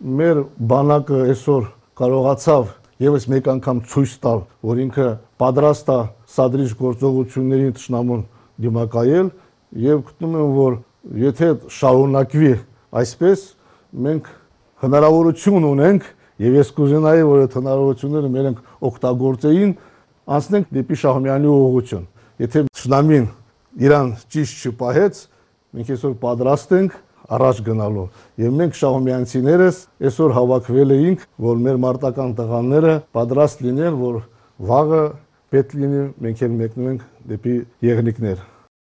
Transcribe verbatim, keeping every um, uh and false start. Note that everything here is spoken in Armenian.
Մեր բանակը այսօր կարողացավ եւս մեկ անգամ ցույց տալ, որ ինքը պատրաստ է սադրիչ գործողություններին թշնամուն դիմակայել եւ գտնում եմ, որ եթե շարունակվի այսպես, մենք հնարավորություն ունենք եւ ես կուզենայի, որ այդ հնարավորությունները մենք օգտագործեին, անցնենք դեպի Շահումյանի ուղղություն։ Եթե թշնամին իրան ճիշտ չպահեց, մենք այսօր պատրաստ ենք առաջ գնալու եւ մենք շահումյանցիներս այսօր հավաքվել էինք, որ մեր մարտական տղաները պատրաստ լինեն, որ վաղը պետք լինի մենք էլ մեկնենք դեպի եղնիկներ։